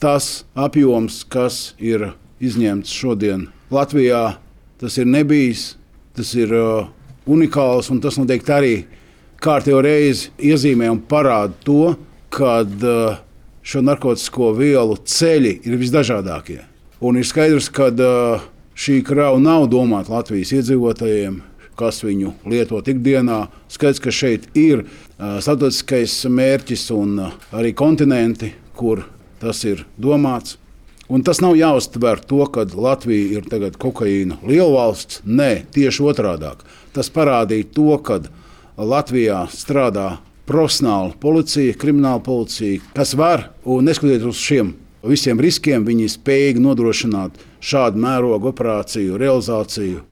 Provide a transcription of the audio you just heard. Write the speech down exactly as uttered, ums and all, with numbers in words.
tas apjoms, kas ir izņemts šodien Latvijā, tas ir nebijis, tas ir uh, unikāls, un tas noteikti arī kārtējo reizi iezīmē un parāda to, ka uh, šo narkotisko vielu ceļi ir visdažādākie. Un ir skaidrs, ka uh, šī krava nav domāta Latvijas iedzīvotājiem, kas viņu lietot ikdienā. Skaidrs, ka šeit ir uh, starptautiskais mērķis un uh, arī kontinenti, kur tas ir domāts. Un tas nav jāuztver to, ka Latvija ir tagad kokaīna lielvalsts. Nē, tieši otrādāk. Tas parādīja to, ka Latvijā strādā profesionāla policija, krimināla policija, kas var, un neskatoties uz šiem visiem riskiem, viņi ir spējīgi nodrošināt šādu mērogu operāciju realizāciju.